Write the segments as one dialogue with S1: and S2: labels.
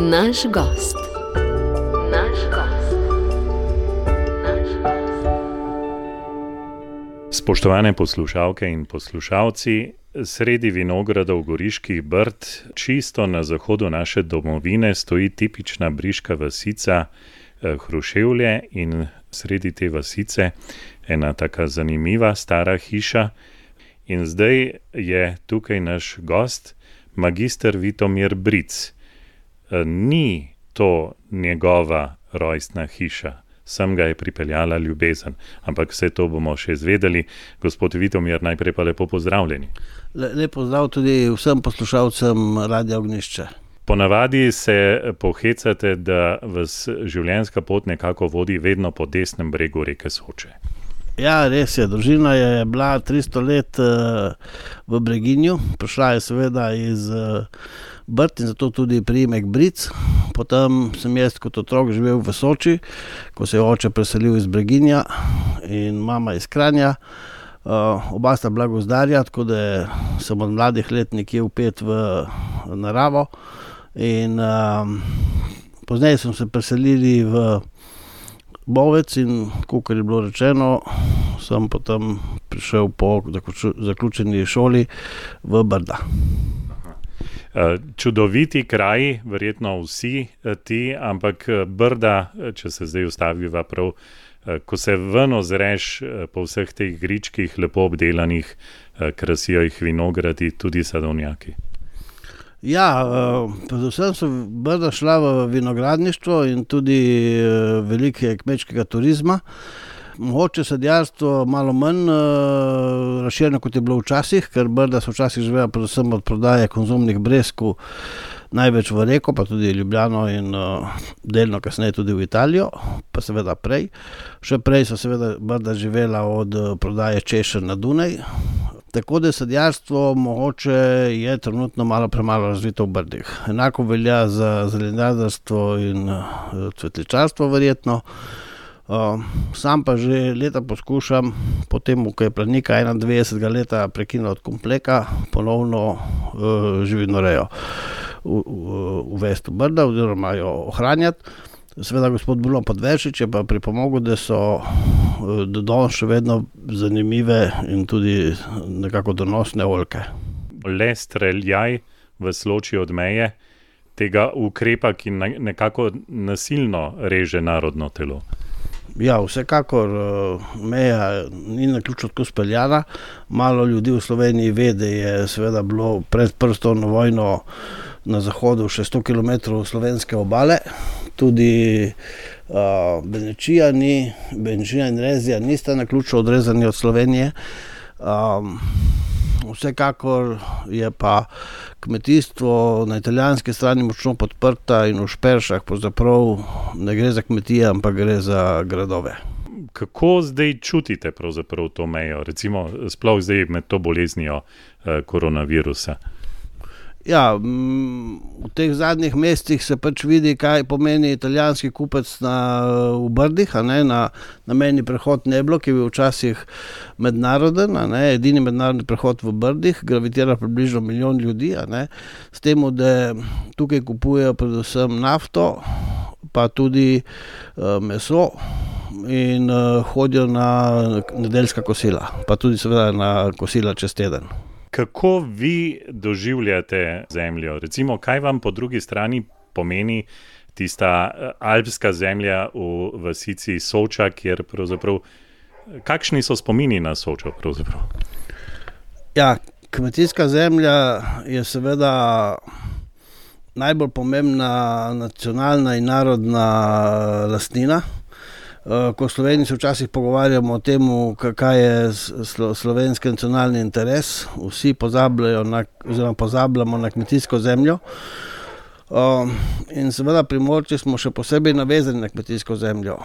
S1: Naš gost.
S2: Spoštovane poslušalke in poslušalci, sredi vinogradov Goriških Brd, čisto na zahodu naše domovine, stoji tipična briška vasica Hruševlje in sredi te vasice ena taka zanimiva stara hiša. In zdaj je tukaj naš gost, magister Vitomir Bric. Ni to njegova rojstna hiša. Sem ga je pripeljala ljubezen, ampak vse to bomo še izvedeli. Gospod Vitomir, najprej pa lepo pozdravljeni.
S3: Lep pozdrav tudi vsem poslušalcem Radia Ognjišče.
S2: Ponavadi se pohecate, da vas življenjska pot nekako vodi vedno po desnem bregu reke Soče.
S3: Ja, res je. Družina je bila 300 let v Breginju. Prišla je seveda iz Brd in zato tudi priimek Bric. Potem sem jaz kot otrok živel v Soči, ko se je oče preselil iz Breginja in mama iz Kranja. Oba sta bila gozdarja, tako da sem od mladih let nekje vpet v naravo. In pozneje smo se preselili v Bovec in, kakor je bilo rečeno, sem potem prišel po zaključeni šoli v Brda.
S2: Čudoviti kraji, verjetno vsi ti, ampak Brda, če se zdaj ustaviva prav, ko se ven ozreš po vseh teh gričkih, lepo obdelanih, krasijo jih vinogradi, tudi sadovnjaki.
S3: Ja, predvsem so Brda šla v vinogradništvo in tudi veliko kmečkega turizma. Mogoče sadjarstvo malo manj razširjeno, kot je bilo včasih, ker Brda so včasih živela predvsem od prodaje konzumnih bresku, največ v Reko, pa tudi Ljubljano in delno kasneje tudi v Italijo, pa seveda prej. Še prej so seveda Brda živela od prodaje češenj na Dunaj. Tako da sadjarstvo mogoče je trenutno malo premalo razvito v Brdih. Enako velja za zelenjadarstvo in cvetličarstvo verjetno. Sam pa že leta poskušam, potem, ko je Planika 91 leta prekinila od kompleka, ponovno živinorejo uvesti v Brda oziroma jo ohranjati. Seveda gospod Bruno Podveršič je pa pripomogel, da so do danes še vedno zanimive in tudi nekako donosne oljke.
S2: Le streljaj v Sloči od meje tega ukrepa, ki nekako nasilno reže narodno telo.
S3: Ja, vsekakor meja ni naključno tako speljana. Malo ljudi v Sloveniji ve, da je seveda bilo pred prstovno vojno na zahodu še 100 km slovenske obale. Tudi Benečija in Rezija nista naključno odrezani od Slovenije. Vsekakor je pa kmetijstvo na italijanski strani močno podprta in v Šperšah pravzaprav ne gre za kmetije, ampak gre za gradove.
S2: Kako zdaj čutite pravzaprav to mejo, recimo sploh zdaj med to boleznijo koronavirusa?
S3: Ja, v teh zadnjih mesecih se pač vidi, kaj pomeni italijanski kupec v Brdih, na mejni prehod Neblo, ki je bil včasih mednaroden, edini mednarodni prehod v Brdih, gravitira približno 1 milijon ljudi, s tem, da tukaj kupujejo predvsem nafto, pa tudi meso in hodijo na nedeljska kosila, pa tudi seveda na kosila čez teden.
S2: Kako vi doživljate zemljo? Recimo, kaj vam po drugi strani pomeni tista alpska zemlja v vasici Soča, kjer pravzaprav, kakšni so spomini na Sočo pravzaprav?
S3: Ja, kmetijska zemlja je seveda najbolj pomembna nacionalna in narodna lastnina. Ko v Sloveniji se včasih pogovarjamo o tem, kaj je slovenski nacionalni interes, vsi pozabljamo na kmetijsko zemljo. In seveda Primorci smo še posebej navezani na kmetijsko zemljo.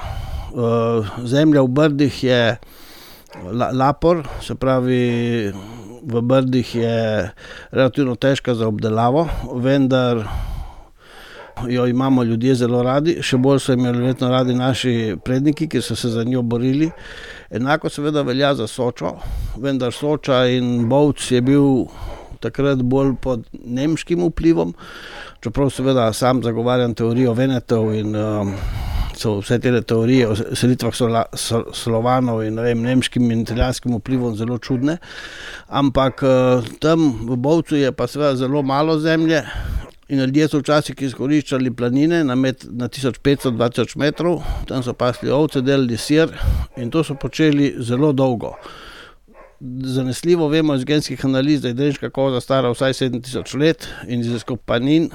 S3: Zemlja v Brdih je lapor, se pravi v Brdih je relativno težka za obdelavo, vendar jo imamo ljudje zelo radi, še bolj so imeli verjetno radi naši predniki, ki so se za njo borili. Enako seveda velja za Sočo, vendar Soča in Bovc je bil takrat bolj pod nemškim vplivom, čeprav seveda sam zagovarjam teorijo Venetov in so vse te teorije o selitvah Slovanov in nemškim in italijanskim vplivom zelo čudne, ampak tam v Bovcu je pa seveda zelo malo zemlje in ljudje so včasih izkoriščali planine na 1500-2000 metrov, tam so pasli ovce, delali sir in to so počeli zelo dolgo. Zanesljivo vemo iz genskih analiz, da je drenška koza stara vsaj 7000 let in iz izkopanin,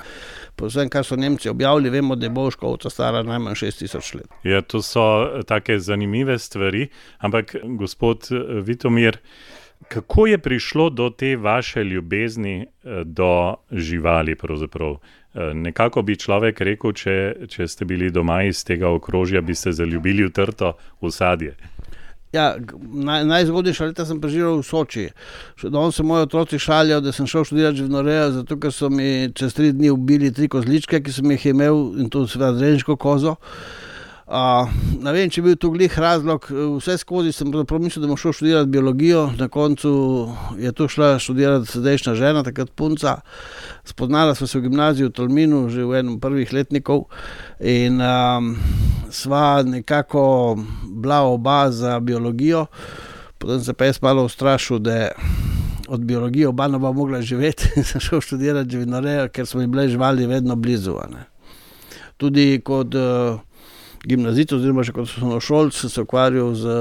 S3: po vsem, kar so Nemci objavili, vemo, da je bovška ovca stara najmanj 6000 let.
S2: Ja, to so take zanimive stvari, ampak gospod Vitomir, kako je prišlo do te vaše ljubezni do živali pravzaprav? Nekako bi človek rekel, če ste bili doma iz tega okrožja, bi se zaljubili v trto, v sadje.
S3: Ja, najzgodnejša leta sem preživel v Soči. Danes se moji otroci šalijo, da sem šel študirati živinorejo, zato ker so mi čez 3 dni ubili 3 kozličke, ki sem jih imel, in to seveda drenško kozo. Ne vem, če je bil to glih razlog, vse skozi sem mislil, da bom šel študirati biologijo, na koncu je to šla študirati sedajšnja žena, takrat punca. Spoznala sva se v gimnaziji v Tolminu, že v enem prvih letnikov in sva nekako bila oba za biologijo, potem se pa jaz malo ustrašil, da od biologije oba ne bo mogla živeti in sem šel študirati živinorejo, ker so mi bile živali vedno blizu. Tudi kot gimnazijec oziroma še kot osnovnošolec sem se ukvarjal z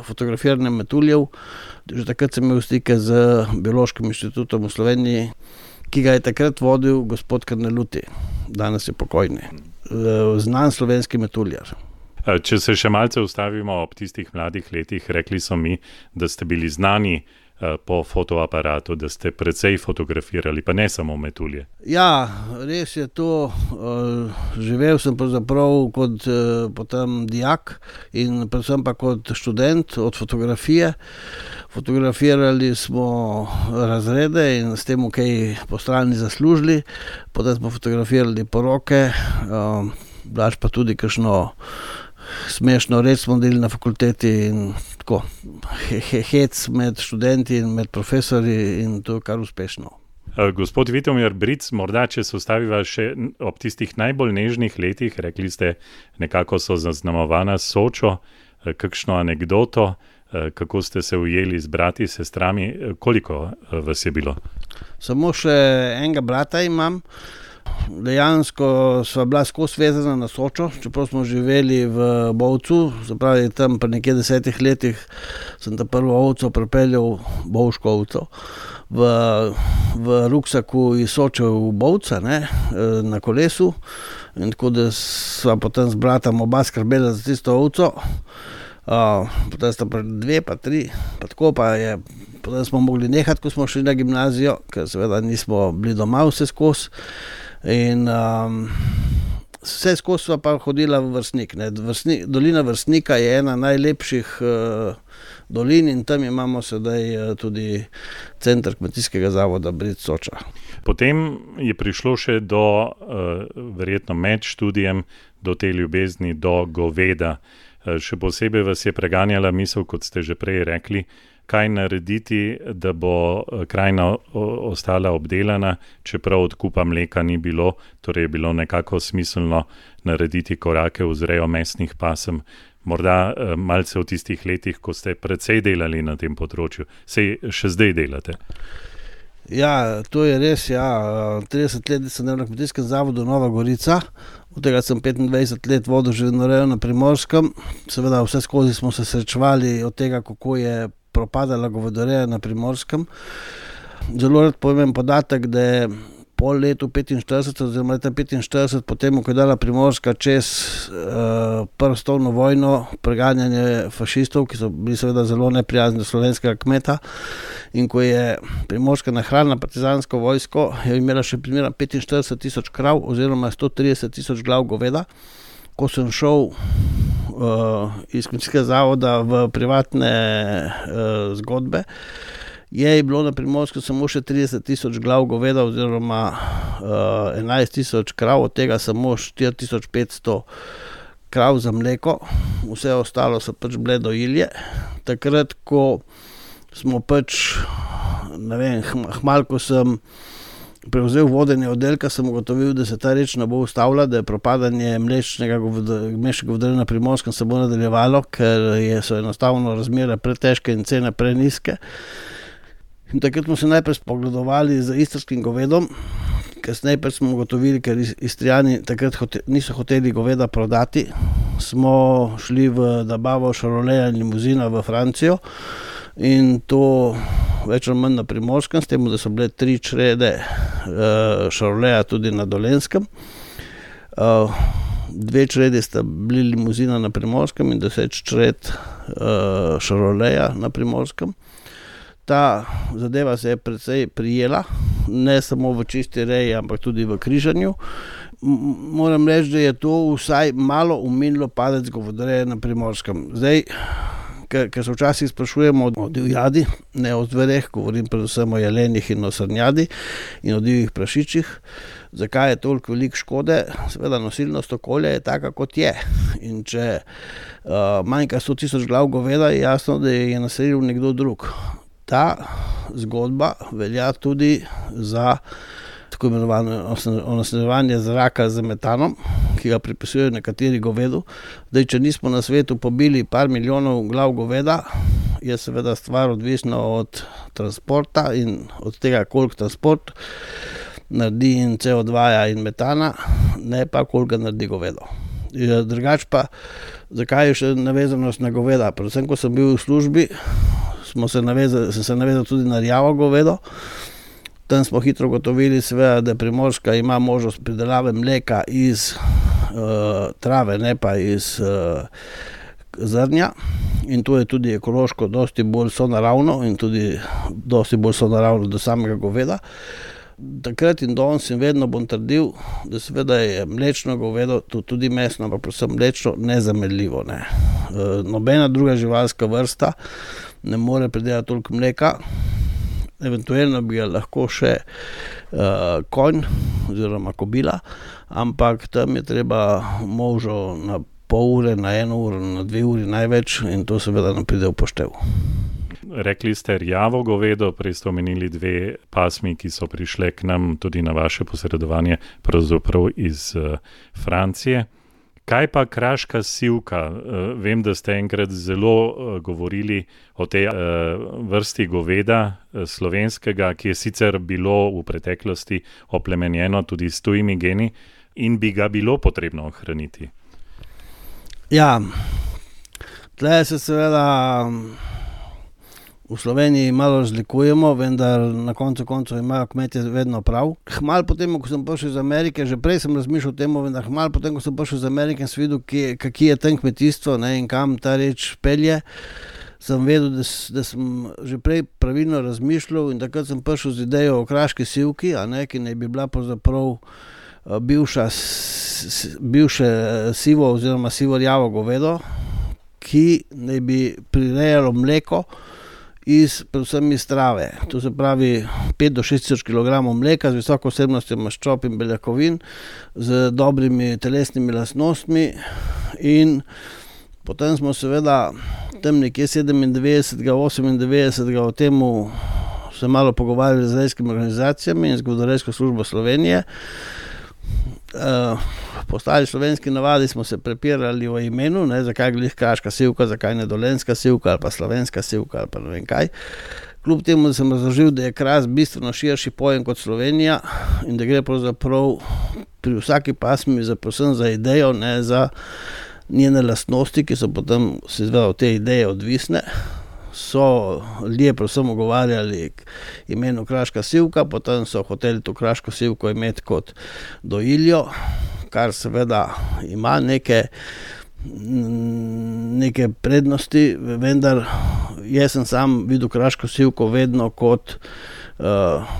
S3: fotografiranjem metuljev. Že takrat sem imel stike z Biološkim inštitutom v Sloveniji, ki ga je takrat vodil gospod Karneluti, danes je pokojni, znan slovenski metuljar.
S2: Če se še malce ustavimo ob tistih mladih letih, rekli so mi, da ste bili znani po fotoaparatu, da ste precej fotografirali, pa ne samo metulje.
S3: Ja, res je to. Živel sem pravzaprav kot potem dijak in predvsem pa kot študent od fotografije. Fotografirali smo razrede in s tem kaj po strani zaslužili. Potem smo fotografirali poroke, blaž pa tudi kakšno smešno reč smo delili na fakulteti in tako hec med študenti in med profesori in to kar uspešno.
S2: Gospod Vitomir Bric, morda če se ustaviva še ob tistih najbolj nežnih letih, rekli ste, nekako so zaznamovana Sočo, kakšno anekdoto, kako ste se ujeli z brati, sestrami, koliko vas je bilo?
S3: Samo še enega brata imam. Dejansko sva bila skozi vezana na Sočo, čeprav smo živeli v Bovcu, zapravi tam pri nekje 10 letih sem ta prvo ovco pripeljal, bovško ovco, v ruksaku iz Soče v Bovca, na kolesu, in tako da sva potem z bratom oba skrbela za tisto ovco, potem sta pa 2, pa 3, pa tako pa je, potem smo mogli nehati, ko smo šli na gimnazijo, ker seveda nismo bili doma vse skozi. In vse skozi sva pa hodila v Vrstnik. Dolina Vrstnika je ena najlepših dolin in tam imamo sedaj tudi center kmetijskega zavoda Bric Soča.
S2: Potem je prišlo še do, verjetno med študijem, do te ljubezni, do goveda. Še posebej vas je preganjala misel, kot ste že prej rekli, kaj narediti, da bo krajina ostala obdelana, čeprav odkupa mleka ni bilo, torej je bilo nekako smiselno narediti korake v vzrejo mesnih pasem. Morda malce v tistih letih, ko ste precej delali na tem področju, sej še zdaj delate.
S3: Ja, to je res, 30 let sem delal na kmetijskem zavodu Nova Gorica, od tega sem 25 let vodil živinorejo na Primorskem. Seveda vse skozi smo se srečevali od tega, kako je propadala govedoreja na Primorskem. Zelo rad povem podatek, da je po letu 45, oziroma leta 45, potem, ko je dala Primorska čez prvo svetovno vojno, preganjanje fašistov, ki so bili seveda zelo neprijazni do slovenskega kmeta, in ko je Primorska nahranila partizansko vojsko, je imela še primera 45 000 krav oziroma 130 000 glav goveda. Ko sem šel iz kmetijskega zavoda v privatne zgodbe, je bilo na Primorsku samo še 30 000 glav goveda oziroma 11 000 krav, od tega samo 4500 krav za mleko, vse ostalo so pač bile dojilje. Takrat, ko smo pač ne vem, hmal, ko sem prevzel vodenje oddelka, sem ugotovil, da se ta reč ne bo ustavila, da je propadanje mlečnega govedorja na Primorskem se bo nadaljevalo, ker so enostavno razmere pretežke in cene prenizke. In takrat smo se najprej spogledovali z istrskim govedom, kasneje pa smo ugotovili, ker Istrijani takrat niso hoteli goveda prodati, smo šli v nabavo šaroleja in limuzina v Francijo in to več ali manj na Primorskem, s tem, da so bile 3 črede šaroleja tudi na Dolenjskem. 2 čredi sta bili limuzina na Primorskem in 10 čred šaroleja na Primorskem. Ta zadeva se je precej prijela, ne samo v čisti reji, ampak tudi v križanju. Moram reči, da je to vsaj malo umirilo padec govedoreje na Primorskem. Zdaj, ker se včasih sprašujemo o divjadi, ne o zvereh, govorim predvsem o jelenih in o srnjadi in o divjih prašičih, zakaj je toliko veliko škode? Seveda nosilnost okolja je taka, kot je. In če manjka 100 000 glav goveda, je jasno, da je naselil nekdo drug. Ta zgodba velja tudi za tako imenovano onesnaževanje zraka z metanom, ki ga pripisujejo nekateri govedu. Zdaj, če nismo na svetu pobili par milijonov glav goveda, je seveda stvar odvisna od transporta in od tega, koliko transport naredi in CO2 in metana, ne pa koliko ga naredi govedo. Drugače pa, zakaj je še navezanost na goveda? Predvsem, ko sem bil v službi, sem se navezal tudi na rjavo govedo. Tam smo hitro gotovili, seveda, da Primorska ima možnost pridelave mleka iz trave, ne pa iz zrnja. In to je tudi ekološko dosti bolj sonaravno in tudi dosti bolj sonaravno do samega goveda. Takrat in danes in vedno bom trdil, da seveda je mlečno govedo, tudi mesno, ampak predvsem mlečno, nezamenljivo. Ne. Nobena druga živalska vrsta ne more pridelati toliko mleka, eventualno bi ga lahko še konj oziroma kobila, ampak tam je treba možo na pol ure, na 1 uro, na 2 uri največ in to seveda ne pride v poštev.
S2: Rekli ste rjavo govedo, prej ste omenili 2 pasmi, ki so prišle k nam tudi na vaše posredovanje, pravzaprav iz Francije. Kaj pa kraška sivka? Vem, da ste enkrat zelo govorili o tej vrsti goveda slovenskega, ki je sicer bilo v preteklosti oplemenjeno tudi s tujimi geni in bi ga bilo potrebno ohraniti.
S3: Ja, tle se seveda v Sloveniji malo razlikujemo, vendar na koncu imajo kmetje vedno prav. Hmal potem, ko sem prišel iz Amerike, že prej sem razmišljal o tem, vendar hmal potem, ko sem prišel iz Amerike in sem videl, kaki je tam kmetijstvo, ne, in kam ta reč pelje, sem vedel, da sem že prej pravilno razmišljal in takrat sem prišel z idejo o kraški sivki, ki naj bi bila pravzaprav bivše sivo oziroma sivo-rjavo govedo, ki naj bi prirejalo mleko predvsem iz trave. To se pravi 5 do 6 tisoč kilogramov mleka z visoko vsebnostjo maščob in beljakovin, z dobrimi telesnimi lastnostmi in potem smo seveda tam nekje 97. 98. o temu se malo pogovarjali z rejskimi organizacijami in z Govedorejsko službo Slovenije. Po stari slovenski navadi smo se prepirali o imenu, zakaj glih kraška sivka, zakaj ne dolenjska sivka ali pa slovenska sivka ali pa ne vem kaj. Kljub temu, da sem razložil, da je kras bistveno širši pojem kot Slovenija in da gre pravzaprav pri vsaki pasmi predvsem za idejo, ne za njene lastnosti, ki so potem seveda od te ideje odvisne. So ljudje predvsem ogovarjali k imenu kraška sivka, potem so hoteli to kraško sivko imeti kot dojiljo, kar seveda ima neke prednosti, vendar jaz sem sam videl kraško sivko vedno kot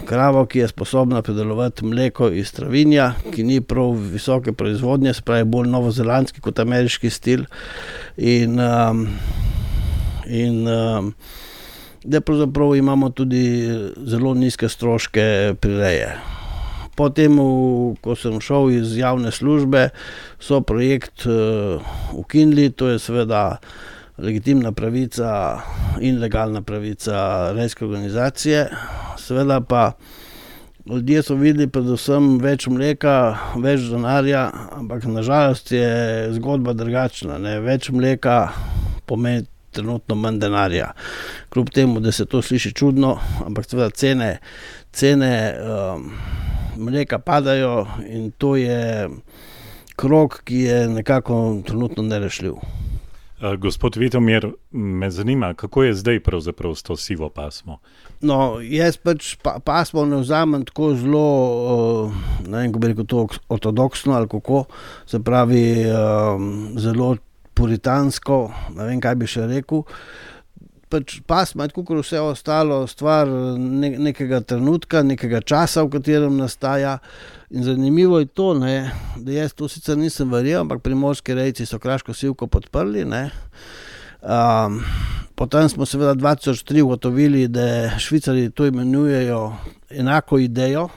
S3: kravo, ki je sposobna pridelovati mleko iz travinja, ki ni prav visoke proizvodnje, se pravi bolj novozelandski kot ameriški stil in da pravzaprav imamo tudi zelo nizke stroške prireje. Potem, ko sem šel iz javne službe, so projekt ukinili, to je seveda legitimna pravica in legalna pravica rejske organizacije. Seveda pa ljudje so videli predvsem več mleka, več denarja, ampak nažalost je zgodba drugačna, ne? Več mleka pomeni trenutno manj denarja. Kljub temu, da se to sliši čudno, ampak seveda cene mleka padajo in to je krog, ki je nekako trenutno nerešljiv.
S2: Gospod Vitomir, me zanima, kako je zdaj pravzaprav s to sivo pasmo?
S3: No, jaz pač pasmo ne vzamem tako zelo, ne vem, kako bi rekel to, ortodoksno ali kako, se pravi zelo puritansko, ne vem, kaj bi še rekel. Pač pasma je tako, kot vse ostalo, stvar nekega trenutka, nekega časa, v katerem nastaja. In zanimivo je to, ne, da jaz to sicer nisem verjel, ampak primorski rejci so kraško sivko podprli. Ne. Potem smo seveda 2003 ugotovili, da Švicarji to imenujejo enako idejo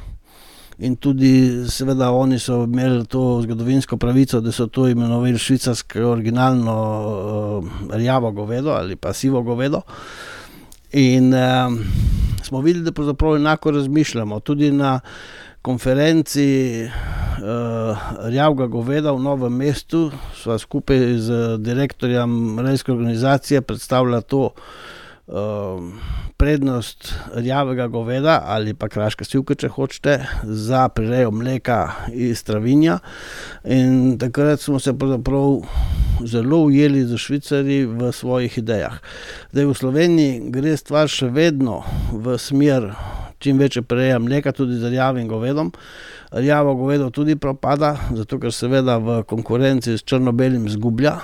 S3: in tudi seveda oni so imeli to zgodovinsko pravico, da so to imenovali švicarsko originalno rjavo govedo ali pa sivo govedo. In smo videli, da pravzaprav enako razmišljamo. Tudi na konferenci rjavega goveda v Novem mestu sva skupaj z direktorjem rejske organizacije predstavila to prednost rjavega goveda ali pa kraške sivke, če hočete, za prirejo mleka iz travinja. In takrat smo se pravzaprav zelo ujeli z Švicarji v svojih idejah. Zdaj v Sloveniji gre stvar še vedno v smer čim večje prireja mleka, tudi z rjavim govedom. Rjavo govedo tudi propada, zato ker seveda v konkurenci s črno-belim zgublja.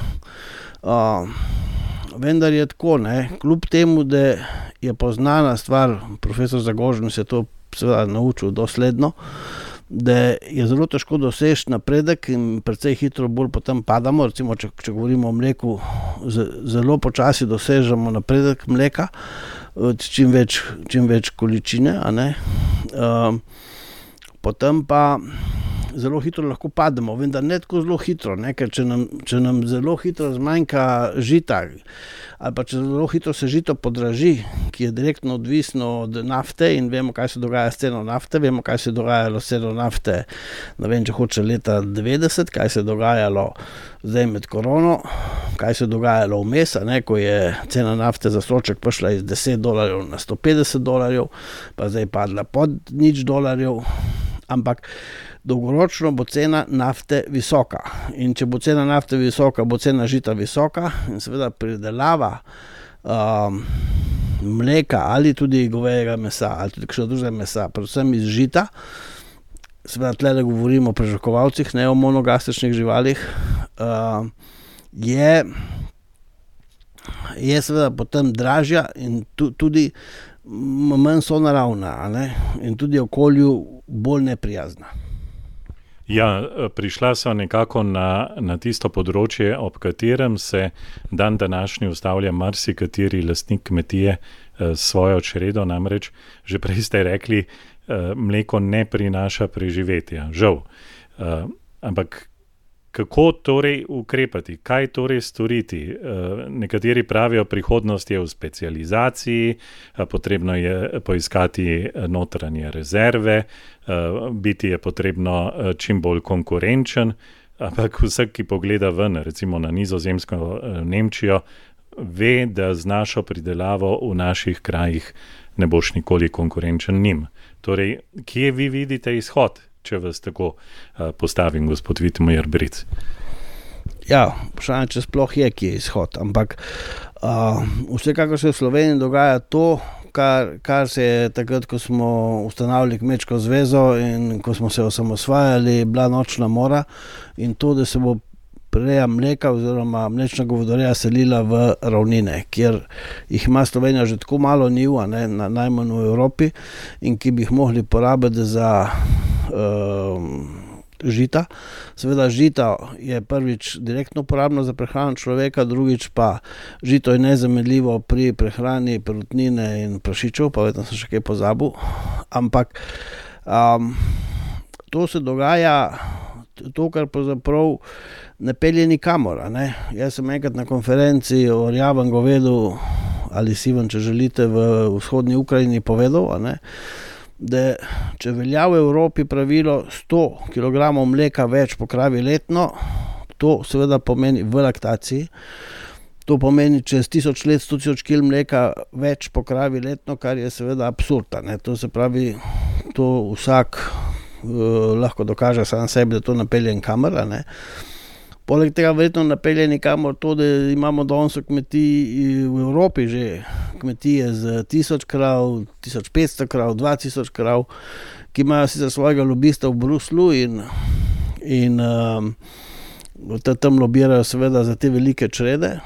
S3: Vendar je tako, ne, kljub temu, da je poznana stvar, profesor Zagožen se je to seveda naučil dosledno, da je zelo težko doseči napredek in precej hitro bolj potem padamo. Recimo, če govorimo o mleku, zelo počasi dosežemo napredek mleka, čim več količine, a ne. Potem pa zelo hitro lahko pademo, vendar ne tako zelo hitro, ne? Ker če nam zelo hitro zmanjka žita ali pa če zelo hitro se žito podraži, ki je direktno odvisno od nafte in vemo, kaj se dogaja s ceno nafte, vemo, kaj se je dogajalo s ceno nafte, ne vem, če hoče leta 90, kaj se je dogajalo zdaj med korono, kaj se je dogajalo vmes, ne, ko je cena nafte za stroček prišla iz $10 na $150, pa zdaj padla pod $0, ampak dolgoročno bo cena nafte visoka. In če bo cena nafte visoka, bo cena žita visoka in seveda pridelava mleka ali tudi govejega mesa ali tudi kakšnega drugega mesa, predvsem iz žita, seveda tlele govorimo o prežvekovalcih, ne o monogastričnih živalih, je seveda potem dražja in tudi manj sonaravna, a ne? In tudi okolju bolj neprijazna.
S2: Ja, prišla so nekako na tisto področje, ob katerem se dan današnji ustavlja marsikateri lastnik kmetije s svojo čredo, namreč že prej ste rekli, mleko ne prinaša preživetja, žal. Ampak kako torej ukrepati, kaj torej storiti? Nekateri pravijo, prihodnost je v specializaciji, potrebno je poiskati notranje rezerve, biti je potrebno čim bolj konkurenčen, ampak vsak, ki pogleda ven, recimo na Nizozemsko, Nemčijo, ve, da z našo pridelavo v naših krajih ne boš nikoli konkurenčen njim. Torej, kje vi vidite izhod? Če vas tako postavim, gospod Vitomir Bric.
S3: Ja, vprašanje, če sploh je, ki je izhod, ampak vsekakor se v Sloveniji dogaja to, kar se je takrat, ko smo ustanavljali Kmečko zvezo in ko smo se osamosvajali, bila nočna mora in to, da se bo prireja mleka oziroma mlečna govedoreja selila v ravnine, kjer jih ima Slovenija že tako malo njiv, najmanj v Evropi, in ki bi jih mogli porabiti za žita. Seveda žita je prvič direktno uporabno za prehrano človeka, drugič pa žito je nezamenljivo pri prehrani perutnine in prašičev, pa vedno sem še kaj pozabil. Ampak to se dogaja to, kar pravzaprav ne pelje nikamor. Ne? Jaz sem enkrat na konferenci o rjavem govedu ali sivem, če želite, v vzhodni Ukrajini povedal, ne? Da če velja v Evropi pravilo 100 kg mleka več po kravi letno, to seveda pomeni v laktaciji, to pomeni čez 1000 let 100 000 kg mleka več po kravi letno, kar je seveda absurd. Ne? To se pravi, to vsak lahko dokaže sam sebi, da to napelje nikamor. Ne? Poleg tega verjetno napelje nikamor to, da imamo danes kmetij v Evropi že kmetije z 1000 krav, 1500 krav, 2000 krav, ki imajo sicer svojega lobista v Bruslu in tam lobirajo seveda za te velike črede,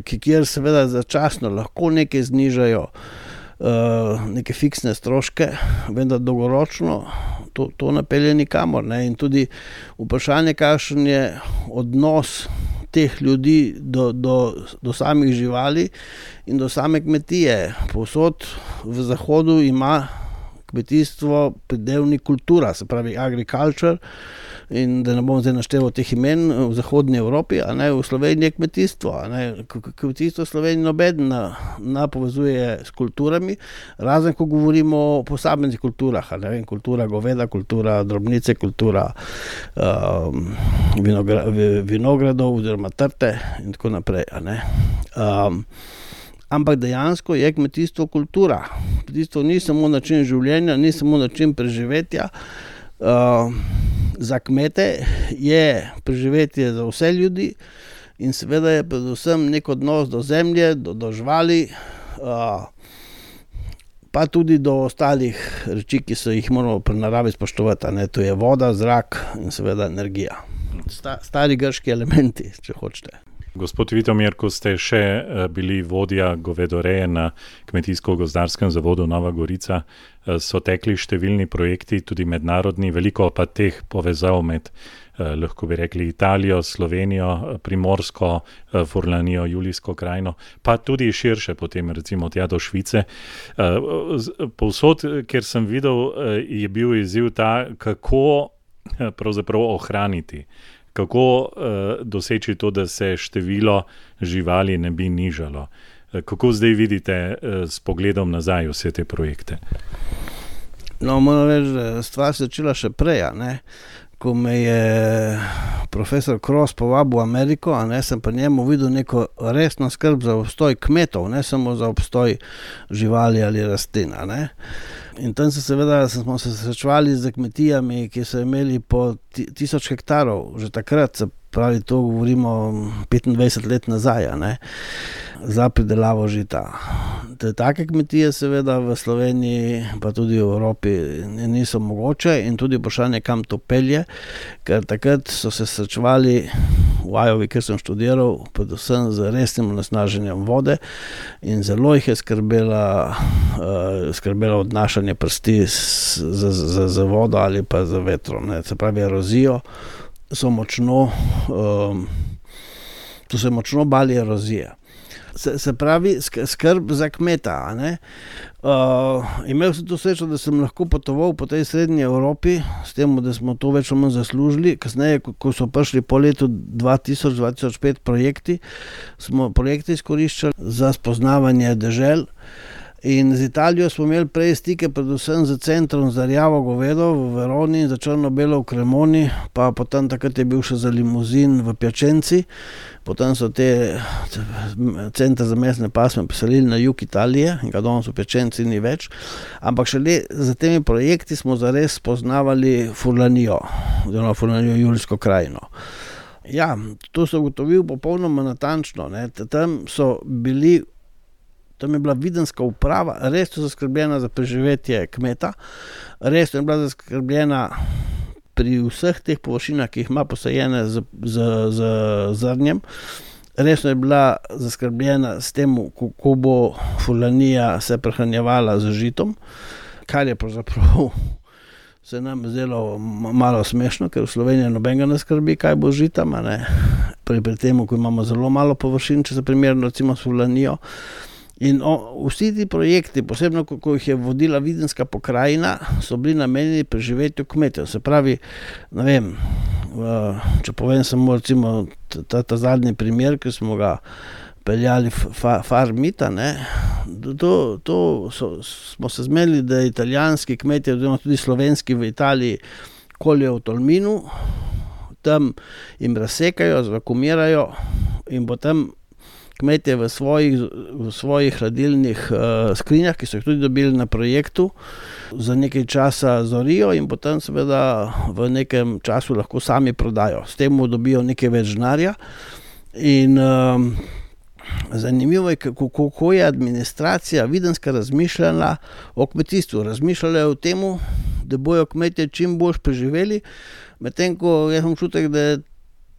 S3: kjer seveda začasno lahko nekaj znižajo, neke fiksne stroške, vendar dolgoročno to napelje nikamor. Ne? In tudi vprašanje, kakšen je odnos teh ljudi do samih živali in do same kmetije. Povsod v zahodu ima kmetijstvo pridevnik kultura, se pravi agriculture, in da ne bom zdaj našteval teh imen v zahodni Evropi, a ne, v Sloveniji je kmetijstvo. A ne, kmetijstvo v Sloveniji nobeden povezuje s kulturami, razen ko govorimo o posameznih kulturah, a ne vem, kultura goveda, kultura drobnice, kultura vinogradov oziroma trte in tako naprej, a ne. Ampak dejansko je kmetijstvo kultura. Kmetijstvo ni samo način življenja, ni samo način preživetja. Za kmete je preživetje za vse ljudi in seveda je predvsem nek odnos do zemlje, do živali, pa tudi do ostalih reči, ki so jih moramo pri naravi spoštovati. Ne? To je voda, zrak in seveda energija. Stari grški elementi, če hočete.
S2: Gospod Vitomir, ko ste še bili vodja govedoreje na Kmetijsko-gozdarskem zavodu Nova Gorica, so tekli številni projekti, tudi mednarodni, veliko pa teh povezav med, lahko bi rekli, Italijo, Slovenijo, Primorsko, Furlanijo, Julijsko krajino, pa tudi širše potem, recimo tja do Švice. Povsod, kjer sem videl, je bil izziv ta, kako pravzaprav ohraniti, kako doseči to, da se število živali ne bi nižalo. Kako zdaj vidite s pogledom nazaj vse te projekte?
S3: No, moram reči, da stvar se začela še prej, ne? Ko me je profesor Cross povabil v Ameriko, a ne, sem pa njemu videl neko resno skrb za obstoj kmetov, ne samo za obstoj živali ali rastlin, a ne. In tam smo se srečevali z kmetijami, ki so imeli po 1000 hektarov, že takrat, se pravi, to govorimo 25 let nazaj, a ne, za pridelavo žita. Take kmetije seveda v Sloveniji, pa tudi v Evropi niso mogoče in tudi vprašanje, kam to pelje, ker takrat so se srečevali v Iowi, kjer sem študiral, predvsem z resnim onesnaženjem vode in zelo jih je skrbelo odnašanje prsti z vodo ali pa z vetrom. Ne. Se pravi, erozijo so se močno bali erozije. Se pravi, skrb za kmeta. A ne? Imel sem to srečo, da sem lahko potoval po tej srednji Evropi, s tem, da smo to več ali manj zaslužili. Kasneje, ko so prišli po letu 2000-2005 projekti, smo projekte izkoriščali za spoznavanje dežel. In z Italijo smo imeli prej stike predvsem z centrom za rjavo govedo v Veroni, za črno-belo v Cremoni, pa potem takrat je bil še za limuzin v Piacenci. Potem so te centre za mesne pasme preselili na jug Italije in ga danes v Piacenci ni več. Ampak šele za temi projekti smo zares spoznavali Furlanijo, oziroma Furlanijo Julijsko krajino. Ja, to so ugotovil popolnoma natančno. Ne. Tam je bila videnska uprava, res so zaskrbljena za preživetje kmeta, res je bila zaskrbljena pri vseh teh površinah, ki jih ima posajene z zrnjem, res je bila zaskrbljena s tem, kako bo Furlanija se prehranjevala z žitom, kar je pravzaprav se nam zdelo malo smešno, ker v Sloveniji nobenega ne skrbi, kaj bo z žitom, pri tem, ko imamo zelo malo površin, če se primerno recimo s Furlanijo. In vsi ti projekti, posebno ko jih je vodila videnska pokrajina, so bili namenjeni preživetju kmetov. Se pravi, ne vem, Če povem samo recimo ta zadnji primer, ki smo ga peljali Farmita, ne, smo se zmenili, da italijanski kmetje, oziroma tudi slovenski v Italiji, koljejo v Tolminu, tam jim razsekajo, zvakumirajo in potem kmetje v svojih hladilnih skrinjah, ki so jih tudi dobili na projektu, za nekaj časa zorijo in potem seveda v nekem času lahko sami prodajo. S tem dobijo nekaj več denarja in zanimivo je, kako je administracija videnska razmišljala o kmetijstvu. Razmišljala je o tem, da bojo kmetje čim bolj preživeli, medtem ko jaz imam občutek, da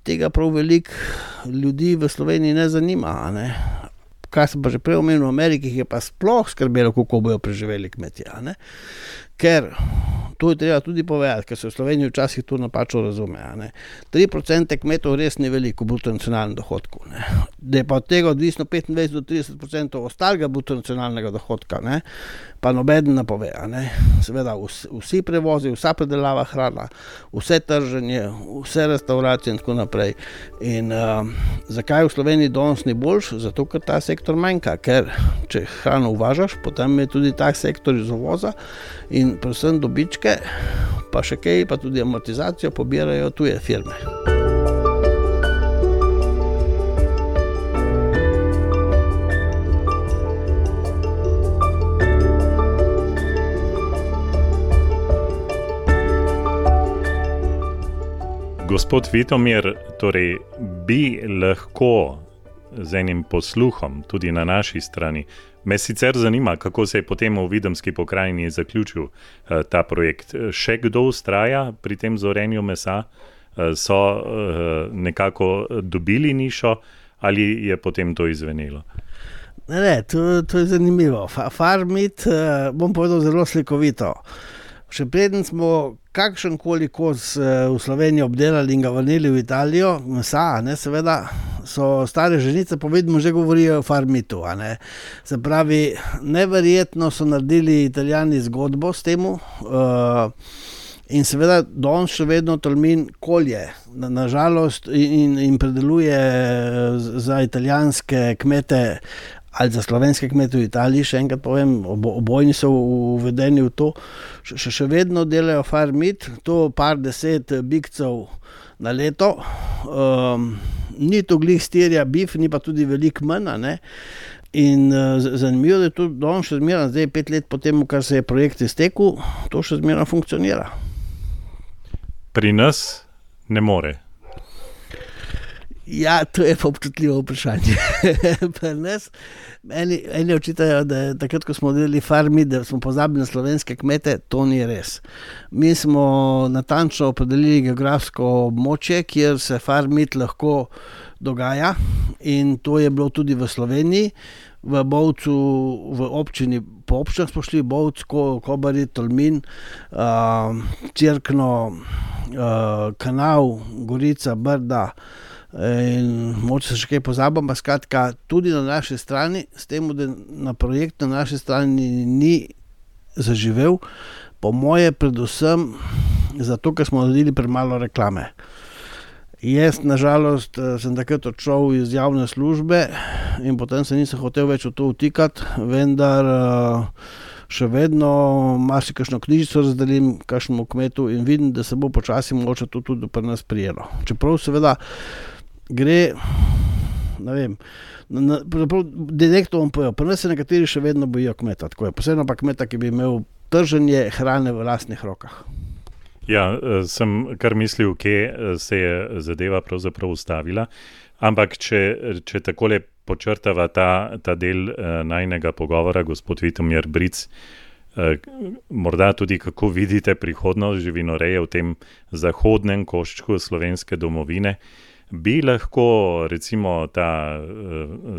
S3: tega prav veliko ljudi v Sloveniji ne zanima. Ne? Kar sem pa že prej omenil, v Ameriki je pa sploh skrbelo, kako bojo preživeli kmetje. Ne? Ker to je treba tudi povedati, ker se v Sloveniji včasih to napačno razume. 3% kmetov res ni veliko v bruto nacionalnem dohodku. Ne? Da je pa od tega odvisno 25 do 30% ostalega bruto nacionalnega dohodka, ne? Pa nobeden ne pove. Ne? Seveda vsi prevozi, vsa predelava hrana, vse trženje, vse restauracije in tako naprej. In zakaj v Sloveniji danes ni boljš? Zato, ker ta sektor manjka. Ker če hrano uvažaš, potem je tudi ta sektor iz uvoza in predvsem dobičke, pa še kaj, pa tudi amortizacijo pobirajo tuje firme.
S2: Gospod Vitomir, torej bi lahko z enim posluhom tudi na naši strani. Me sicer zanima, kako se je potem v Videmski pokrajini zaključil ta projekt. Še kdo vztraja pri tem zorenju mesa? So nekako dobili nišo ali je potem to izvenelo?
S3: Ne, to je zanimivo. Farmit, bom povedal zelo slikovito. Še preden smo kakšenkoli kos v Sloveniji obdelali in ga vrnili v Italijo, mesa, ne, seveda, so stare ženice povedno že govorijo o Farmitu. Se pravi, neverjetno so naredili Italijani zgodbo s temu in seveda danes še vedno Tolmin kolje, nažalost, in predeluje za italijanske kmete ali za slovenske kmete v Italiji, še enkrat povem, obojni so uvedeni v to, še vedno delajo Farmit, to par 10 bikcev na leto, ni to glih stirja bif, ni pa tudi veliko manj, ne? In zanimivo, da je to danes še zmeraj, zdaj 5 let potem, kar se je projekt iztekel, to še zmeraj funkcionira.
S2: Pri nas ne more.
S3: Ja, to je pa občutljivo vprašanje. Pri nas eni očitajo, da takrat, ko smo delali Farmit, da smo pozabili na slovenske kmete, to ni res. Mi smo natančno opredelili geografsko območje, kjer se Farmit lahko dogaja in to je bilo tudi v Sloveniji, v Bovcu, v občini, po občinah smo šli, Bovc, Kobarid, Tolmin, Cerkno, Kanal, Gorica, Brda, in moče se še kaj pozabim, pa skratka tudi na naši strani, s tem, da na projekt na naši strani ni zaživel, po moje predvsem zato, ker smo naredili premalo reklame. Jaz, nažalost, sem takrat odšel iz javne službe in potem se nisem hotel več v to vtikati, vendar še vedno marsikakšno knjižico razdelim kakšnemu kmetu in vidim, da se bo počasi mogoče to tudi pri nas prijelo. Čeprav seveda gre, ne vem, direktno bom povedal, pri nas se nekateri še vedno bojijo kmeta, tako je, posebno pa kmeta, ki bi imel trženje hrane v lastnih rokah.
S2: Ja, sem kar mislil, kje se je zadeva pravzaprav ustavila, ampak če takole počrtava ta del najinega pogovora, gospod Vitomir Bric, morda tudi kako vidite prihodnost živinoreje v tem zahodnem koščku slovenske domovine, bi lahko recimo ta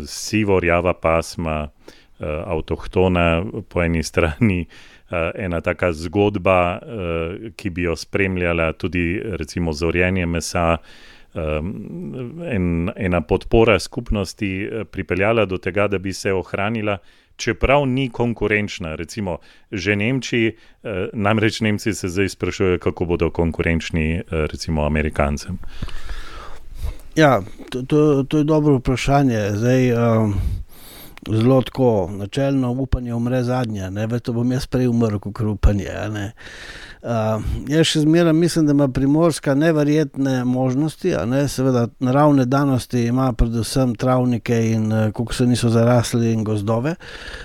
S2: sivo-rjava pasma, avtohtona po eni strani, ena taka zgodba, ki bi jo spremljala tudi recimo zorjenje mesa, ena podpora skupnosti pripeljala do tega, da bi se ohranila, čeprav ni konkurenčna. Recimo, že Nemčiji, namreč Nemci se zdaj sprašujejo, kako bodo konkurenčni recimo Amerikancem.
S3: Ja, to je dobro vprašanje. Zdaj, zelo tako, načelno upanje umre zadnje, ne, to bom jaz prej umrl, kot upanje, ne. Jaz še zmeraj mislim, da ima Primorska neverjetne možnosti, ne, seveda naravne danosti ima predvsem travnike in koliko se niso zarasli in gozdove,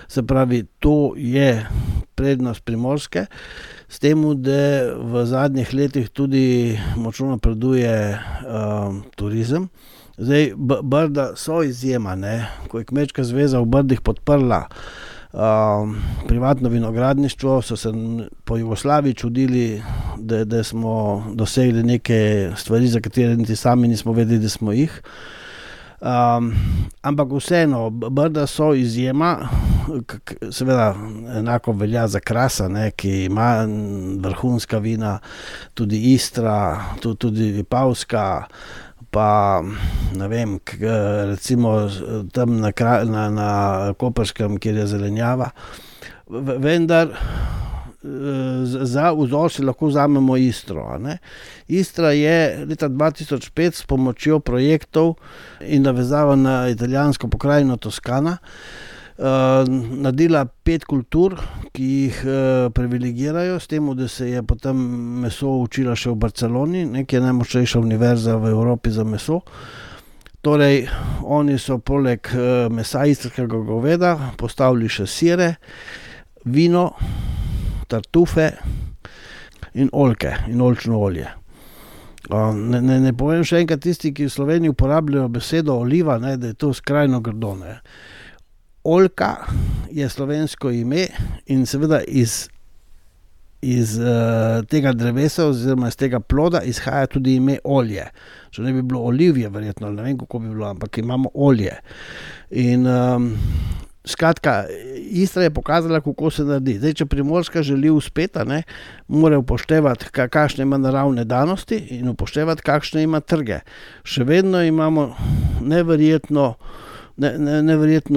S3: se pravi, to je prednost Primorske, s tem, da v zadnjih letih tudi močno napreduje turizem. Zdaj, Brda so izjema, ne, ko je Kmečka zveza v Brdih podprla privatno vinogradništvo, so se po Jugoslaviji čudili, da smo dosegli neke stvari, za katere niti sami nismo vedeli, da smo jih. Ampak vseeno, Brda so izjema, seveda enako velja za Krasa, ne, ki ima vrhunska vina, tudi Istra, tudi Vipavska, pa ne vem, recimo tam na Koperskem, kjer je zelenjava. Vendar za vzor si lahko vzamemo Istro. Ne? Istra je leta 2005 s pomočjo projektov in navezava na italijansko pokrajino Toskana naredila 5 kultur, ki jih privilegirajo, s tem, da se je potem meso učila še v Barceloni, ki je najmočnejša univerza v Evropi za meso. Torej, oni so poleg mesa istrskega goveda postavili še sire, vino, tartufe in oljke in oljčno olje. Ne povem še enkrat tisti, ki v Sloveniji uporabljajo besedo oliva, ne, da je to skrajno grdo. Ne. Oljka je slovensko ime in seveda iz tega drevesa oziroma iz tega ploda izhaja tudi ime olje. Če ne bi bilo olivje, verjetno, ne vem, kako bi bilo, ampak imamo olje. In skratka, Istra je pokazala, kako se naredi. Zdaj, če Primorska želi uspeti, mora upoštevati, kakšne ima naravne danosti in upoštevati, kakšne ima trge. Še vedno imamo neverjetno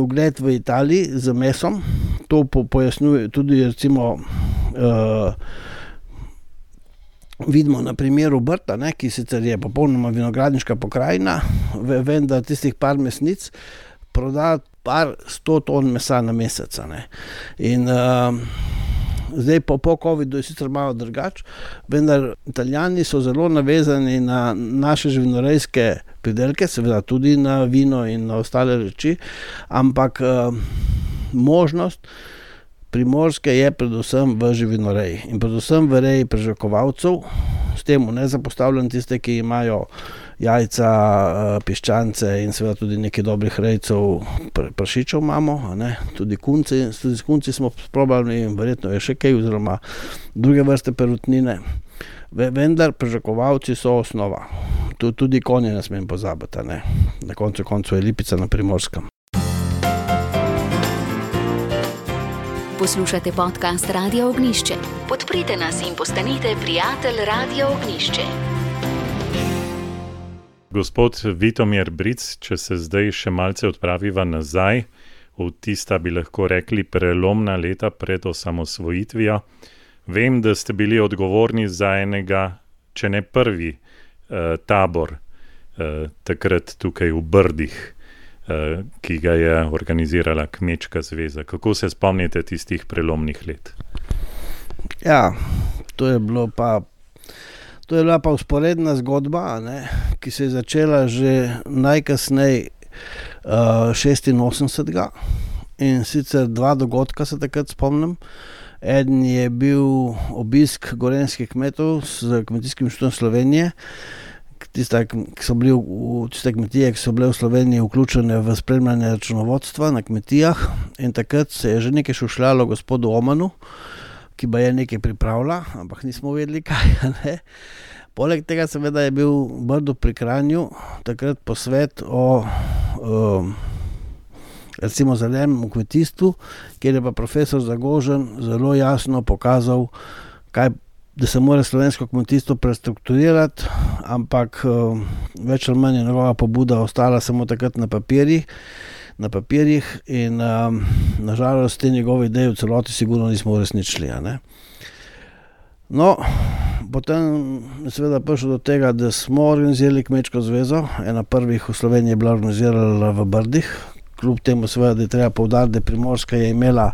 S3: ugled v Italiji z mesom. To pojasnjuje tudi recimo vidimo na primeru Brda, ki sicer je popolnoma vinogradniška pokrajina, vendar tistih par mesnic proda par 100 ton mesa na mesec. In zdaj po covidu je sicer malo drugače, vendar Italijani so zelo navezani na naše živinorejske pridelke, seveda tudi na vino in na ostale reči, ampak možnost Primorske je predvsem v živinoreji in predvsem v reji prežakovalcev, s tem ne zapostavljam tiste, ki imajo jajca, piščance in seveda tudi nekaj dobrih rejcev prašičev imamo, tudi s kunci smo sprobali in verjetno je še kaj, oziroma druge vrste perutnine. Vendar prežakovalci so osnova. Tudi konje ne smem pozabiti, na koncu je Lipica na Primorskem.
S1: Poslušate podcast Radia Ognjišče. Podprite nas in postanite prijatelj Radia Ognjišče.
S2: Gospod Vitomir Bric, če se zdaj še malce odpraviva nazaj, v tista bi lahko rekli prelomna leta pred osamosvojitvijo. Vem, da ste bili odgovorni za enega, če ne prvi, tabor takrat tukaj v Brdih, ki ga je organizirala Kmečka zveza. Kako se spomnite tistih prelomnih let?
S3: Ja, to je bila pa vzporedna zgodba, ki se je začela že najkasneje 86. In sicer 2 dogodka se takrat spomnim. Eden je bil obisk gorenjskih kmetov z Kmetijskim inštitutom Slovenije, tiste kmetije, ki so bile v Sloveniji vključene v spremljanje računovodstva na kmetijah, in takrat se je že nekaj šušljalo gospodu Omanu, ki ba je nekaj pripravlja, ampak nismo vedeli kaj. Poleg tega seveda je bil v Brdu pri Kranju takrat posvet o recimo zelenem kmetijstvu, kjer je pa profesor Zagožen zelo jasno pokazal, kaj da se mora slovensko kmetijstvo prestrukturirati, ampak več ali manj je njegova pobuda ostala samo takrat na papirjih in nažalost te njegove ideje v celoti sigurno nismo uresničili. No, potem je seveda prišlo do tega, da smo organizirali Kmečko zvezo, ena prvih v Sloveniji je bila organizirala v Brdih, kljub temu seveda, da je treba poudariti, da Primorska je imela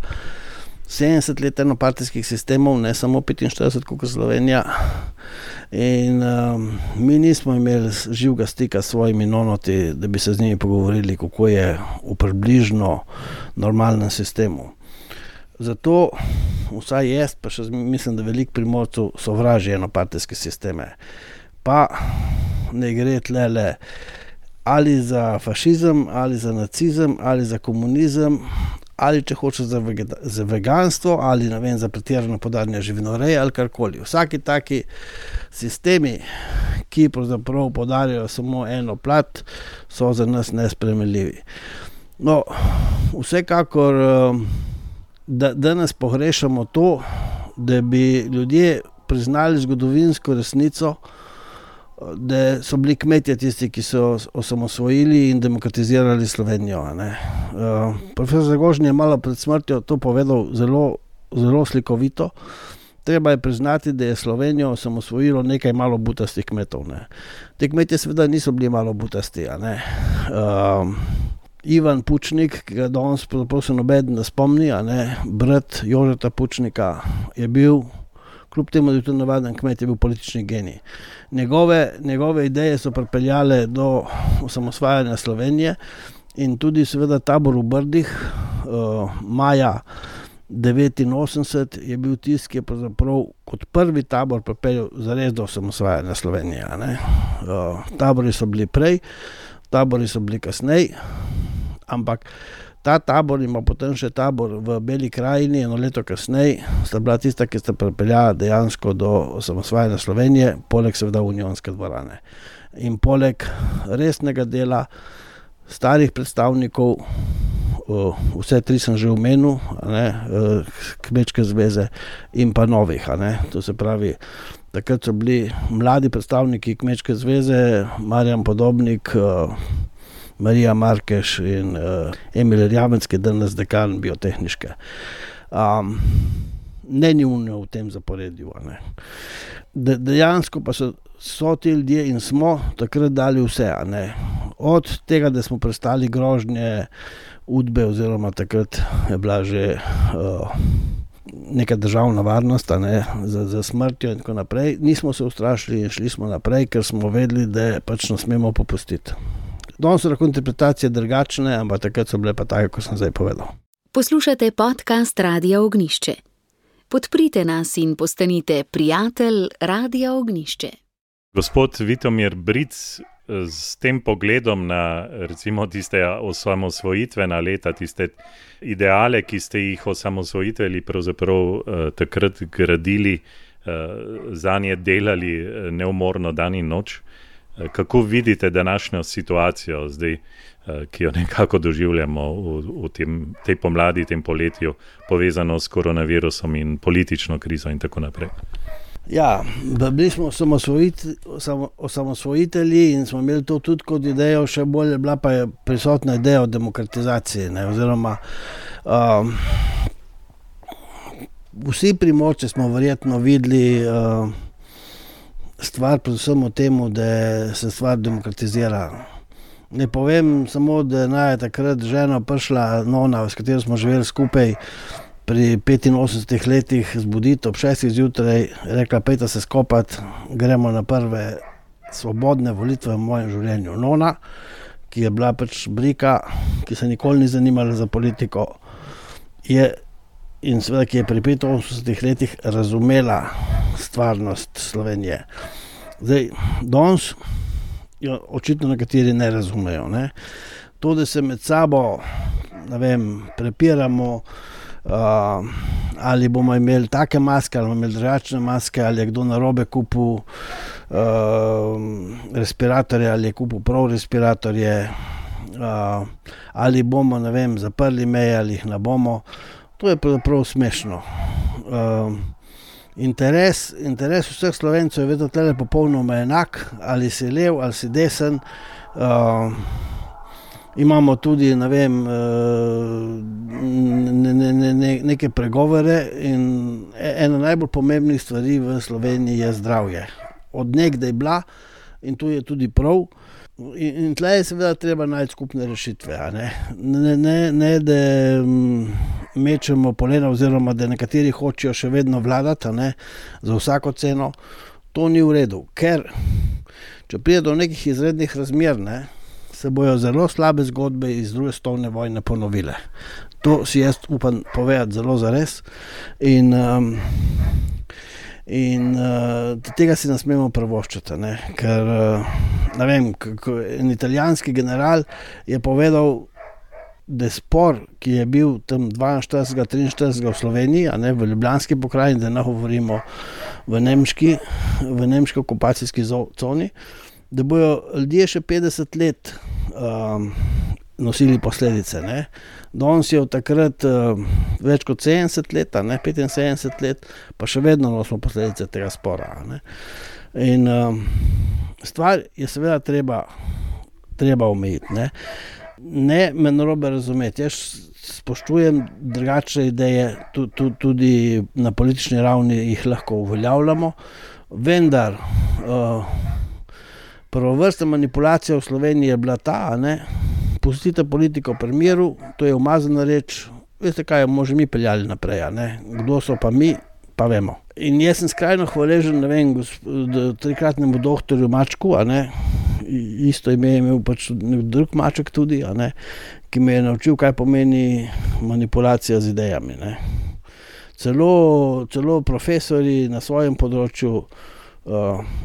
S3: 70 let enopartijskih sistemov, ne samo 45, kot Slovenija. In mi nismo imeli živega stika s svojimi nonoti, da bi se z njimi pogovorili, kako je v približno normalnem sistemu. Zato vsaj jaz, pa še mislim, da veliko Primorcev sovraži enopartijske sisteme. Pa ne gre tlele ali za fašizem, ali za nacizem, ali za komunizem, ali če hoče za veganstvo, ali ne vem, za pretirano podajanje živinoreje ali karkoli. Vsaki taki sistemi, ki pravzaprav podarjajo samo eno plat, so za nas nesprejemljivi. No, vsekakor danes pogrešamo to, da bi ljudje priznali zgodovinsko resnico, da so bili kmetje tisti, ki so osamosvojili in demokratizirali Slovenijo. Profesor Zagožen je malo pred smrtjo to povedal zelo, zelo slikovito. Treba je priznati, da je Slovenijo osamosvojilo nekaj malo butastih kmetov. Te kmetje seveda niso bili malo butasti. Ivan Pučnik, ki ga danes se nobeden ne spomni, brat Jožeta Pučnika, je bil, kljub temu, da je tudi navaden kmet, je bil politični genij. Njegove ideje so pripeljale do osamosvajanja Slovenije in tudi seveda tabor v Brdih maja 1989 je bil tisti, ki je pravzaprav kot prvi tabor pripeljal zares do osamosvajanja Slovenije. Tabori so bili prej, tabori so bili kasneje, ampak ta tabor ima potem še tabor v Beli krajini, eno leto kasneje, sta bila tista, ki sta pripeljala dejansko do osamosvajanja Slovenije, poleg seveda Unionske dvorane. In poleg resnega dela starih predstavnikov, vse tri sem že omenil, Kmečke zveze in pa novih. To se pravi, takrat so bili mladi predstavniki Kmečke zveze, Marjan Podobnik, Marija Markeš in Emil Erjavec, ki je danes dekan biotehniške. Ne njune v tem zaporedju. Dejansko pa so ti ljudje in smo takrat dali vse. Od tega, da smo prestali grožnje Udbe, oziroma takrat je bila že neka državna varnost za smrtjo in tako naprej. Nismo se ustrašili in šli smo naprej, ker smo vedeli, da pač ne smemo popustiti. Danes so lahko interpretacije drugačne, ampak takrat so bile pa take, kot sem zdaj povedal.
S1: Poslušate podcast Radia Ognjišče. Podprite nas in postanite prijatelj Radia Ognjišče.
S2: Gospod Vitomir Bric, s tem pogledom na recimo tiste osamosvojitvena leta, tiste ideale, ki ste jih osamosvojitveli pravzaprav takrat gradili, zanje delali neumorno dan in noč. Kako vidite današnjo situacijo zdaj, ki jo nekako doživljamo v tej pomladi, tem poletju, povezano s koronavirusom in politično krizo in tako naprej?
S3: Ja, bili smo osamosvojitelji in smo imeli to tudi kot idejo, še bolj je bila pa je prisotna ideja o demokratizaciji, oziroma vsi Primorci smo verjetno videli stvar predvsem o tem, da se stvar demokratizira. Ne povem samo, da je takrat žena prišla, nona, s katero smo živeli skupaj, pri 85 letih zbuditi ob 6 zjutraj, rekla, pejte se skopati, gremo na prve svobodne volitve v mojem življenju. Nona, ki je bila pač brika, ki se nikoli ni zanimala za politiko, in seveda, ki je pri 85 letih razumela stvarnost Slovenije. Zdaj, danes očitno nekateri ne razumejo. To, da se med sabo, prepiramo, ali bomo imeli take maske, ali bomo imeli drugačne maske, ali je kdo narobe kupil respiratorje, ali je kupil prav respiratorje, ali bomo, zaprli meje, ali jih ne bomo. To je pravzaprav smešno. Interes vseh Slovencev je vedno tle popolnoma enak, ali si lev, ali si desen. Imamo tudi, ne vem, neke pregovore in ena najbolj pomembnih stvari v Sloveniji je zdravje. Od nekdaj bila in to je tudi prav. In tle je seveda treba najti skupne rešitve. Ne da mečemo polena oziroma da nekateri hočejo še vedno vladati, za vsako ceno. To ni v redu, ker če pride do nekih izrednih razmer, se bojo zelo slabe zgodbe iz druge svetovne vojne ponovile. To si jaz upam povedati zelo zares in tega si ne smemo privoščiti, ker ne vem, en italijanski general je povedal, da spor, ki je bil tam 42-43 v Sloveniji, v Ljubljanski pokrajini, da ne govorimo v nemški okupacijski coni, da bojo ljudje še 50 let nosili posledice. Danes je od takrat več kot 70 let, 75 let, pa še vedno nosimo posledice tega spora. In stvar je seveda treba omejiti. Ne me narobe razumeti, jaz spoštujem drugačne ideje, tudi na politični ravni jih lahko uveljavljamo, vendar prvovrstna manipulacija v Sloveniji je bila ta, pustite politiko pri miru, to je umazana reč, veste kaj, bomo že mi peljali naprej, kdo so pa mi, pa vemo. In jaz sem skrajno hvaležen, ne vem, trikratnemu doktorju Mačku, isto ime je imel pač drug Maček tudi, ki me je naučil, kaj pomeni manipulacija z idejami. Celo profesori na svojem področju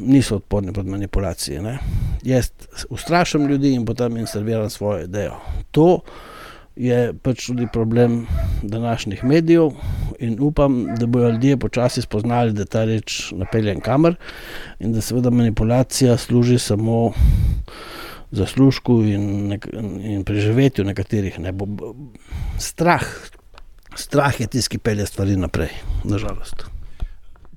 S3: niso odporni pod manipulacije. Jaz ustrašam ljudi in potem jim serviram svojo idejo. To je pač tudi problem današnjih medijev in upam, da bojo ljudje počasi spoznali, da ta reč napeljen kamer in da seveda manipulacija služi samo zaslužku in preživetju nekaterih. Strah je tisti, ki pelje stvari naprej, nažalost.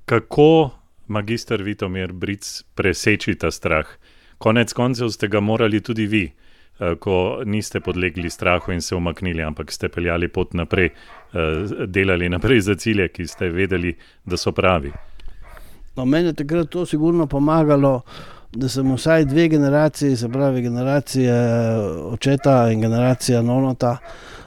S2: Kako magister Vitomir Bric preseči ta strah? Konec koncev ste ga morali tudi vi, ko niste podlegli strahu in se umaknili, ampak ste peljali pot naprej, delali naprej za cilje, ki ste vedeli, da so pravi.
S3: No, meni je takrat to sigurno pomagalo, da sem vsaj 2 generaciji, se pravi generacija očeta in generacija nonota,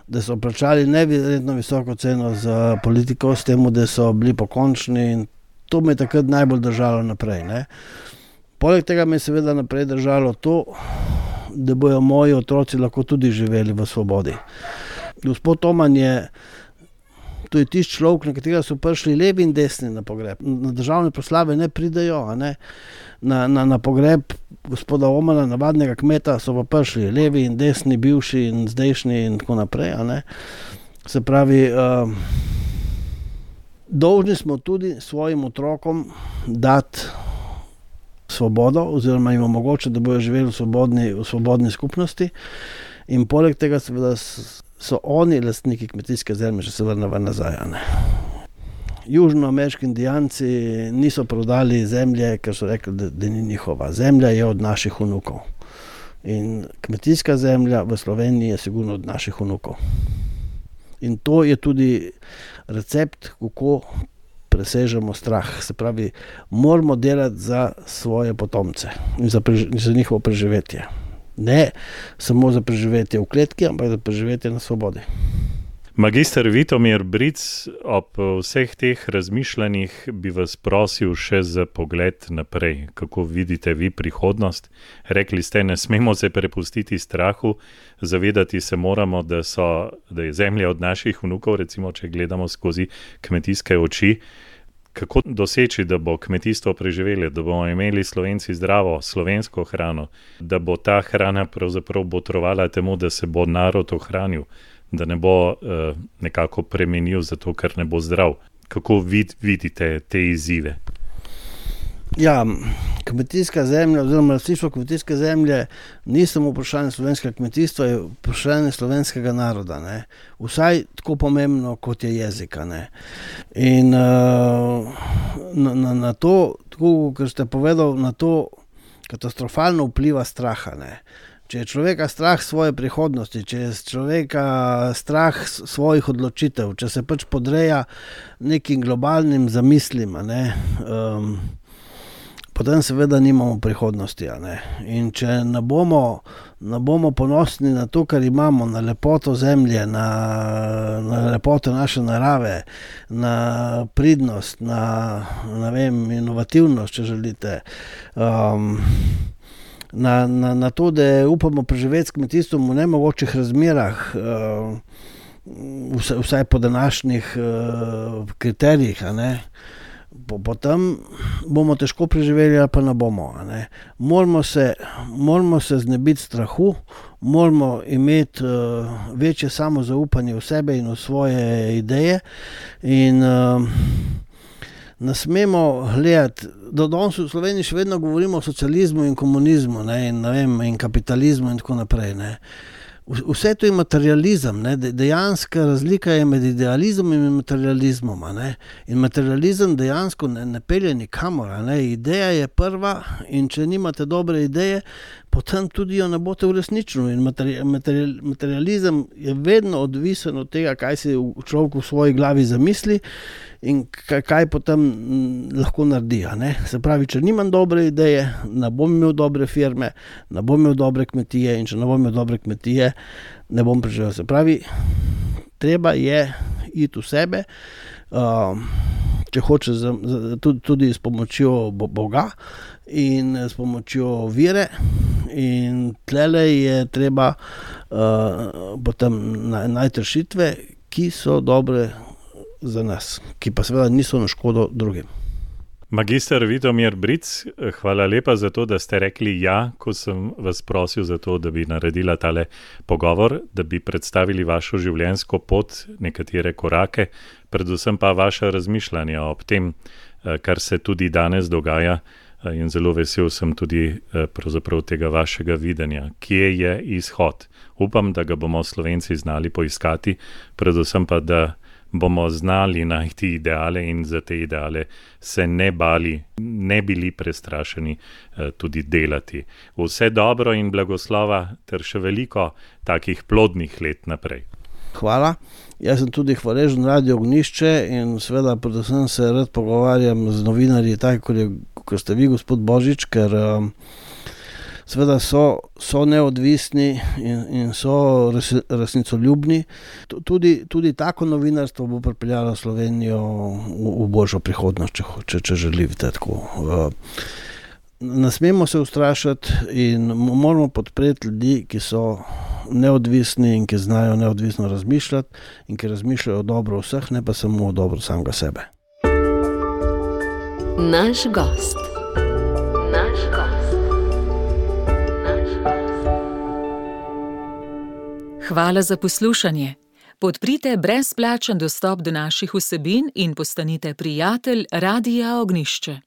S3: da so plačali neverjetno visoko ceno za politiko, s tem, da so bili pokončni in to me je takrat najbolj držalo naprej. Poleg tega me je seveda naprej držalo to, da bojo moji otroci lahko tudi živeli v svobodi. Gospod Toman to je tisti človek, na katerega so prišli levi in desni na pogreb. Na državne proslave ne pridejo, na pogreb gospoda Omana, navadnega kmeta, so pa prišli levi in desni, bivši in zdajšnji in tako naprej. Se pravi, dolžni smo tudi svojim otrokom dati svobodo oziroma jim omogočiti, da bojo živeli v svobodni skupnosti in poleg tega seveda so oni lastniki kmetijske zemlje, če se vrnemo nazaj. Južnoameriški indijanci niso prodali zemlje, ker so rekli, da ni njihova. Zemlja je od naših vnukov. In kmetijska zemlja v Sloveniji je sigurno od naših vnukov. In to je tudi recept, kako presežemo strah. Se pravi, moramo delati za svoje potomce in za njihovo preživetje. Ne samo za preživetje v kletki, ampak za preživetje na svobodi.
S2: Magister Vitomir Bric, ob vseh teh razmišljanjih bi vas prosil še za pogled naprej. Kako vidite vi prihodnost? Rekli ste, ne smemo se prepustiti strahu, zavedati se moramo, da je zemlja od naših vnukov, recimo, če gledamo skozi kmetijske oči. Kako doseči, da bo kmetijstvo preživelo, da bomo imeli Slovenci zdravo slovensko hrano, da bo ta hrana pravzaprav botrovala temu, da se bo narod ohranil, da ne bo nekako premenil zato, ker ne bo zdrav. Kako vidite te izzive?
S3: Ja, kmetijska zemlja oziroma lastništvo kmetijske zemlje ni samo vprašanje slovenskega kmetijstva, je vprašanje slovenskega naroda, ne. Vsaj tako pomembno, kot je jezika, ne. In na to, tako kot ste povedal, na to katastrofalno vpliva straha, ne. Če je človeka strah svoje prihodnosti, če je človeka strah svojih odločitev, če se pač podreja nekim globalnim zamislim, ne, potem seveda nimamo prihodnosti, ne. In če ne bomo ponosni na to, kar imamo, na lepoto zemlje, na lepoto naše narave, na pridnost, na inovativnost, če želite, na to, da upamo preživeti s kmetijstvom v nemogočih razmerah, vsaj po današnjih kriterijih, ne. Potem bomo težko preživeli ali pa ne bomo, ne. Moramo se znebiti strahu, moramo imeti večje samozaupanje v sebe in v svoje ideje in ne smemo gledati, da danes v Sloveniji še vedno govorimo o socializmu in komunizmu, ne, in kapitalizmu in tako naprej, ne. Vse to je materializem, ne, dejanska razlika je med idealizmom in materializmom, ne. In materializem dejansko ne pelje nikamor, ne. Ideja je prva in če nimate dobre ideje, potem tudi jo ne boste uresničili. In materializem je vedno odvisen od tega, kaj si človek v svoji glavi zamisli in kaj potem lahko naredi, ne. Se pravi, če nimam dobre ideje, ne bom imel dobre firme, ne bom imel dobre kmetije in če ne bom imel dobre kmetije, ne bom preživel. Se pravi, treba je iti v sebe, če hoče tudi s pomočjo Boga in s pomočjo vire, in tlele je treba potem najti rešitve, ki so dobre za nas, ki pa seveda niso na škodo drugim.
S2: Magister Vitomir Bric, hvala lepa za to, da ste rekli ja, ko sem vas prosil za to, da bi naredila tale pogovor, da bi predstavili vašo življenjsko pot, nekatere korake, predvsem pa vaše razmišljanja ob tem, kar se tudi danes dogaja, in zelo vesel sem tudi pravzaprav tega vašega videnja. Kje je izhod? Upam, da ga bomo Slovenci znali poiskati, predvsem pa, da bomo znali najti ideale in za te ideale se ne bali, ne bili prestrašeni tudi delati. Vse dobro in blagoslova ter še veliko takih plodnih let naprej.
S3: Hvala. Jaz sem tudi hvaležen Radio Ognjišče in seveda predvsem se rad pogovarjam z novinarji, tako kot ste vi, gospod Božič, ker seveda so neodvisni in so resnicoljubni. Tudi tako novinarstvo bo pripeljalo Slovenijo v boljšo prihodnost, če želite tako. Ne smemo se ustrašiti in moramo podpreti ljudi, ki so neodvisni in ki znajo neodvisno razmišljati in ki razmišljajo o dobro vseh, ne pa samo o dobro samega sebe.
S1: Naš gost. Hvala za poslušanje. Podprite brezplačen dostop do naših vsebin in postanite prijatelj Radia Ognjišče.